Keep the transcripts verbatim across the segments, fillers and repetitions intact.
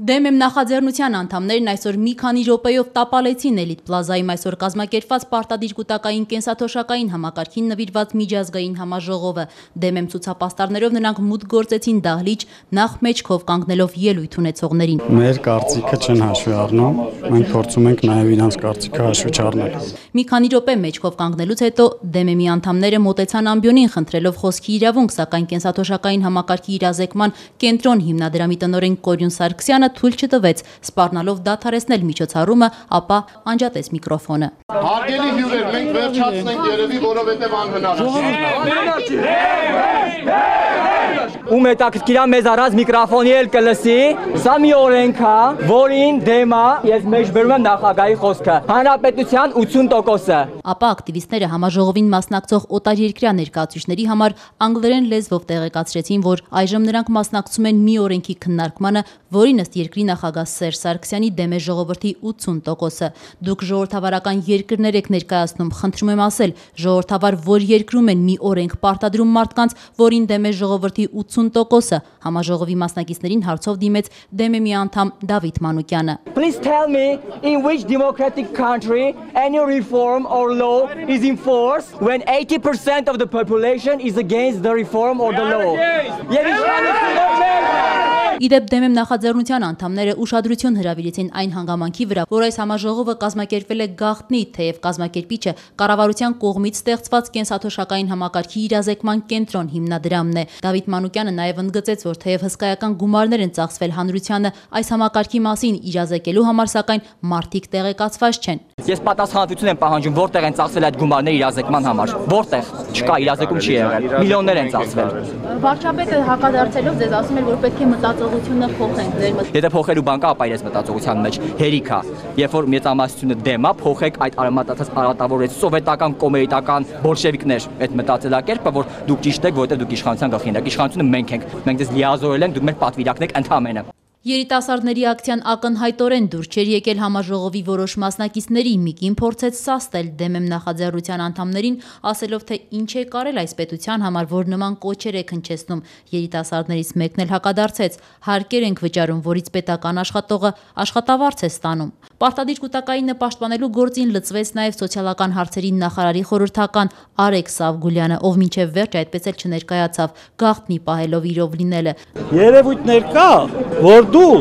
Դեմեմ նախաձեռնության անդամներն այսօր մի քանի րոպեով տապալեցին Էլիտ պլազայում այսօր կազմակերպված պարտադիր կուտակային կենսաթոշակային համակարգին նվիրված միջազգային համաժողովը։ Դեմեմ ցուցապաստառներով նրանք մուտք գործեցին դահլիճ, նախ մեջքով կանգնելով ելույթ ունեցողներին։ Մեր կարծիքը չեն հաշվի առնում, մենք փորձում ենք նաև իրանց կարծիքը հաշվի չառնել։ Մի քանի րոպե մեջքով կանգնելուց հետո Դեմեմի անդամները մոտեցան ամբիոնին խնդրելով խոսքի իրավունք, սակայն կենսաթոշակային համակարգի իրազեկման կենտրոն հիմնադրամի տնօրեն Կորյուն Սարգսյանը թույլ չտվեց, սպառնալով դադարեցնել միջոցառումը, ապա անջատեց միկրոֆոնը։ Հարգելի հյուրեր, մենք վերջացնենք երևի, որովհետև անհնար է։ Ում հետաքրքիր է մեզ առած միկրոֆոնի էլ կլսի, սա մի օրենք է, որին դեմ է, ես մեջբերում եմ նախագահի խոսքը, հանրապետության ութսուն տոկոսը։ Ապա ակտիվիստները համաժողովին մասնակցող օտարերկրյա ներկայացուցիչների համար անգլերեն լեզվով տեղեկացրեցին, որ այժմ նրանք մասնակցում են մի օրենքի քննարկմանը, որին ըստ երկրի նախագահ Սերժ Սարգսյանի դեմ է ժողովրդի ութսուն տոկոսը։ Դուք ժողովրդավարական երկրներ եք ներկայացնում, խնդրում եմ ասել, ժողովրդավար որ երկրում են մի օրենք պարտադրում մարդկանց, որին դեմ է ժողովրդի ութսուն տոկոսը, համաժողովի մասնակիցներին հարցով դիմեց Դեմեմի անդամ Դավիթ Մանուկյանը։ Please tell me in which democratic country any reform or law is enforced when eighty percent of the population is against the reform or the law. Իդեպ Դեմեմ նախաձեռնության անդամները ուշադրություն հրավիրեցին այն հանգամանքի վրա, որ այս համաժողովը կազմակերպվել է գաղտնի, թեև կազմակերպիչը կառավարության կողմից ստեղծված կենսաթոշակային համակարգի իրազեկման կենտրոն հիմնադրամն է։ Դավիթ Մանուկյանը նաև ընդգծեց, որ թեև հսկայական գումարներ են ծախսվել հանրությանը այս համակարգի մասին իրազեկելու համար, սակայն մարդիկ տեղեկացված չեն։ Ես պատասխանատվություն եմ պահանջում, որտեղ են ծախսվել այդ գումարները իրազեկման համար։ Որտեղ չկա, իրազեկում չի եղել։ Միլիոններ են ծախսվել։ Վարչապետը հակադարձելով ձեզ ասում էր, որ պետք է մտածողությունը փոխենք։ Եթե փոխելու բան կա, ապա իրենց մտածողության մեջ հերիք է։ Երբ որ մեծամասնությունը դեմ է, փոխեք այդ արմատացած արատավորեց սովետական կոմերիտական բոլշևիկներ այդ մտածելակերպը, որ դուք ճիշտ եք, որովհետև դուք իշխանության գլխին եք։ Իշխանությունը մենք ենք։ Մենք դες լիազորել ենք, դուք մեր պատվիրակն եք ընդհանրապես։ Երիտասարդների ակցիան ակնհայտորեն դուր չէր եկել համաժողովի որոշ մասնակիցների, Միկին փորձեց սաստել Դեմեմ նախաձեռնության անդամներին, ասելով, թե ինչ է կարել այս պետության համար, որ նման կոչեր է հնչեցնում։ Երիտասարդներից մեկն էլ հակադարձեց, հարկեր ենք վճարում, որից պետական աշխատողը աշխատավարձ է ստանում։ Պարտադիր կուտակայինը պաշտպանելու գործին լծվեց նաև սոցիալական հարցերի նախարարի խորհրդական Արեգ Սավգուլյանը, ով մինչև վերջ այդպես էլ չներկայացավ, գաղտնի պահելով իրով լինելը։ Երևույթներ կա, որ դու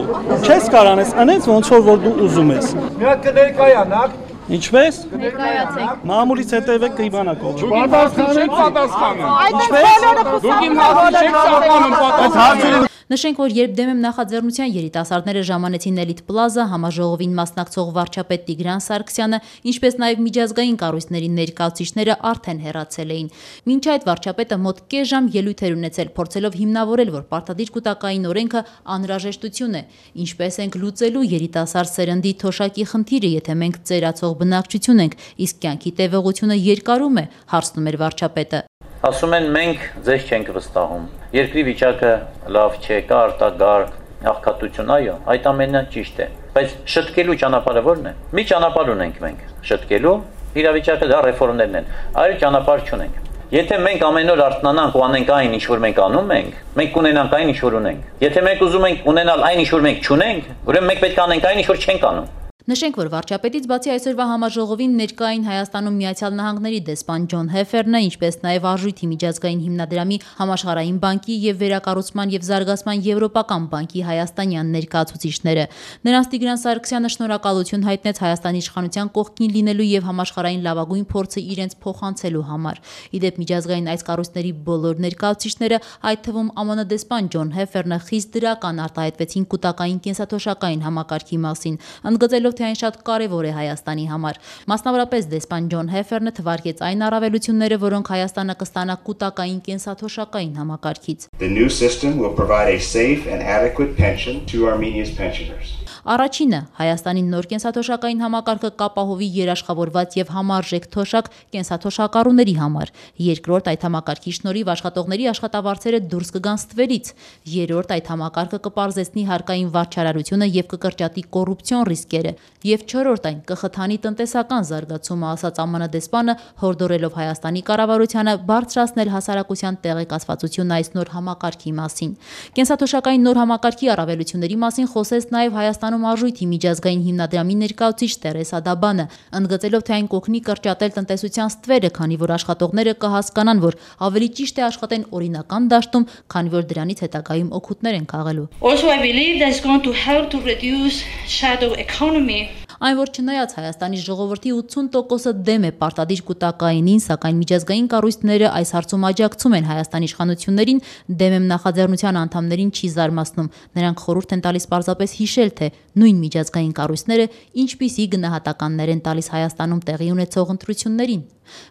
չես կարանես անես ոնց որ դու ուզում ես։ Մի հատ կներկայանաք։ Ինչպես։ Ներկայացեք։ Մամուլից հետևեք կիվանակ ով։ Պատասխանեք, պատասխանը։ Ինչպես։ Դուք իմ հարցը չեք սահմանում, պատասխանը։ Նշենք, որ երբ Դեմեմ նախաձեռնության երիտասարդները ժամանեցին Էլիտ պլազա, համաժողովին մասնակցող վարչապետ Տիգրան Սարգսյանը, ինչպես նաև միջազգային կառույցների ներկայացուցիչները արդեն հեռացել էին։ Մինչ այդ վարչապետը մոտ կես ժամ ելույթ էր ունեցել, փորձելով հիմնավորել, որ պարտադիր կուտակային օրենքը անհրաժեշտություն է, ինչպես ենք լուծելու երիտասարդ սերնդի թոշակի խնդիրը, եթե մենք ծերացող բնակչություն ենք, իսկ կյանքի տևողությունը երկարում է, հարցնում էր վարչապետը։ Ասում են մենք ձեզ չենք վստահում։ Երկրի վիճակը լավ չէ, կա արտագաղթ, աղքատություն, այո, այդ ամենը ճիշտ է։ Բայց շտկելու ճանապարհը ո՞րն է։ Մի ճանապարհ ունենք մենք։ Շտկելու իրավիճակը դա ռեֆորմներն են։ Այլ ճանապարհ չունենք։ Եթե մենք ամեն օր արթնանանք ու անենք այն, ինչ որ մենք անում ենք, մենք կունենանք այն, ինչ որ ունենք։ Եթե մենք ուզում ենք ունենալ այն, ինչ որ մենք չունենք, ուրեմն մենք պետք է անենք այն, ինչ որ չենք անում։ Նշենք, որ վարչապետից բացի այսօրվա համաժողովին ներկային Հայաստանում Միացյալ Նահանգների դեսպան Ջոն Հեֆերնը, ինչպես նաև Արժույթի միջազգային հիմնադրամի, Համաշխարհային բանկի եւ Վերակառուցման եւ Զարգացման Եվրոպական բանկի հայաստանյան ներկայացուցիչները։ Նրանց Տիգրան Սարգսյանը շնորհակալություն հայտնեց Հայաստանի իշխանության կողքին լինելու եւ համաշխարհային լավագույն փորձը իրենց փոխանցելու համար։ Իդեպ միջազգային այս կառույցների բոլոր ներկայացուցիչները, այդ թվում ԱՄՆ դեսպան Ջոն Հեֆերնը, խիստ դրական արտահայտվեցին կուտակային կենսաթոշակային համակարգի մասին, ընդգծելով թե այն շատ կարևոր է Հայաստանի համար։ Մասնավորապես դեսպան Ջոն Հեֆերնը թվարկեց այն առավելությունները, որոնք Հայաստանը կստանա կուտակային կենսաթոշակային համակարգից։ The new system will provide a safe and adequate pension to Armenia's pensioners. Առաջինը Հայաստանի նոր կենսաթոշակային համակարգը կապահովի երաշխավորված եւ համարժեք թոշակ կենսաթոշակառուների համար։ Երկրորդ, այդ համակարգի շնորհիվ աշխատողների աշխատավարձերը դուրս կգան ստվերից։ Երրորդ, այդ համակարգը կպարզեցնի հարկային վարչարարությունը եւ կկրճատի կոռուպցիոն ռիսկերը։ Եվ չորրորդ այն կխթանի տնտեսական զարգացումը, ասաց ԱՄՆ դեսպանը, հորդորելով Հայաստանի կառավարությանը բարձրացնել հասարակության տեղեկացվածությունն այս նոր համակարգի մասին։ Կենսաթոշակային նոր համակարգի առավելությունների մասին խոսեց նաև Հայաստանում արժույթի միջազգային հիմնադրամի ներկայացուցիչ Տերեսա Դաբանը, ընդգծելով, թե այն կօգնի կրճատել տնտեսության ստվերը, քանի որ աշխատողները կհասկանան, որ ավելի ճիշտ է աշխատեն օրինական դաշտում, քանի որ դրանից հետագայում օգուտներ են քաղելու։ Also, I believe that's going to help to reduce shadow economy. Այն, որ չնայած Հայաստանի ժողովրդի ութսուն տոկոսը դեմ է պարտադիր կուտակայինին, սակայն միջազգային կառույցները այս հարցում աջակցում են Հայաստանի իշխանություններին, դեմ եմ նախաձեռնության անդամներին չի զարմացնում։ Նրանք խորհուրդ են տալիս պարզապես հիշել, թե նույն միջազգային կառույցները ինչպիսի գնահատականներ են տալիս Հայաստանում տեղի ունեցող ընտրություններին։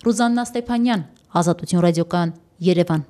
Ռուզաննա Ստեփանյան, Ազատություն ռադիոկայան, Երևան։